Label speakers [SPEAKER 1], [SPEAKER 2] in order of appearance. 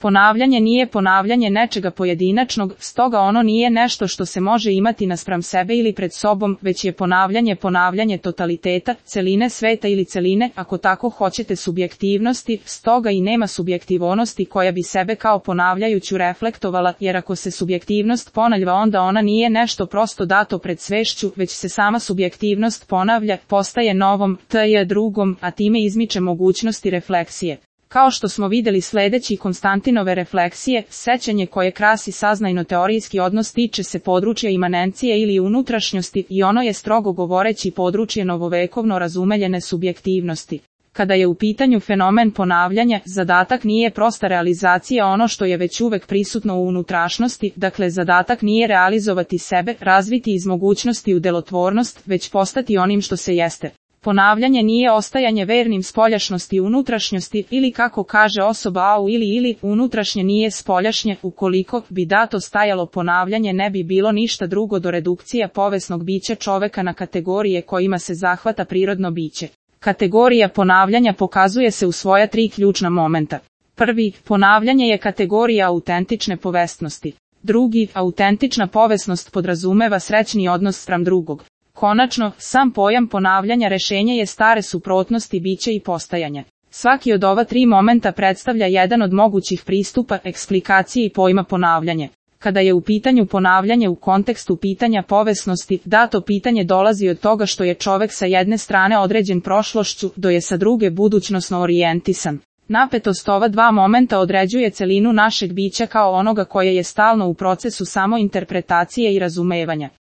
[SPEAKER 1] Ponavljanje nije ponavljanje nečega pojedinačnog, stoga ono nije nešto što se može imati naspram sebe ili pred sobom, već je ponavljanje totaliteta, celine sveta ili celine, ako tako hoćete subjektivnosti, stoga i nema subjektivnosti koja bi sebe kao ponavljajuću reflektovala, jer ako se subjektivnost ponavlja onda ona nije nešto prosto dato pred svešću, već se sama subjektivnost ponavlja, postaje novom, drugom, a time izmiče mogućnosti refleksije. Kao što smo vidjeli sledeći Konstantinove refleksije, sećanje koje krasi saznajno-teorijski odnos tiče se područja imanencije ili unutrašnjosti i ono je strogo govoreći područje novovekovno razumeljene subjektivnosti. Kada je u pitanju fenomen ponavljanja, zadatak nije prosta realizacija ono što je već uvek prisutno u unutrašnjosti, dakle zadatak nije realizovati sebe, razviti iz mogućnosti u delotvornost, već postati onim što se jeste. Ponavljanje nije ostajanje vernim spoljašnosti i unutrašnjosti, ili kako kaže osoba au ili unutrašnje nije spoljašnje, ukoliko bi dato stajalo ponavljanje ne bi bilo ništa drugo do redukcija povesnog bića čoveka na kategorije kojima se zahvata prirodno biće. Kategorija ponavljanja pokazuje se u svoja 3 ključna momenta. Prvi, ponavljanje je kategorija autentične povestnosti. Drugi, autentična povesnost podrazumeva srećni odnos spram drugog. Konačno, sam pojam ponavljanja rešenje je stare suprotnosti bića i postajanja. Svaki od ova 3 momenta predstavlja jedan od mogućih pristupa, eksplikacije i pojma ponavljanje. Kada je u pitanju ponavljanje u kontekstu pitanja povesnosti, dato pitanje dolazi od toga što je čovek sa jedne strane određen prošlošću, do je sa druge budućnosno orijentisan. Napetost ova 2 momenta određuje celinu našeg bića kao onoga koje je stalno u procesu samointerpretacije i razumevanja.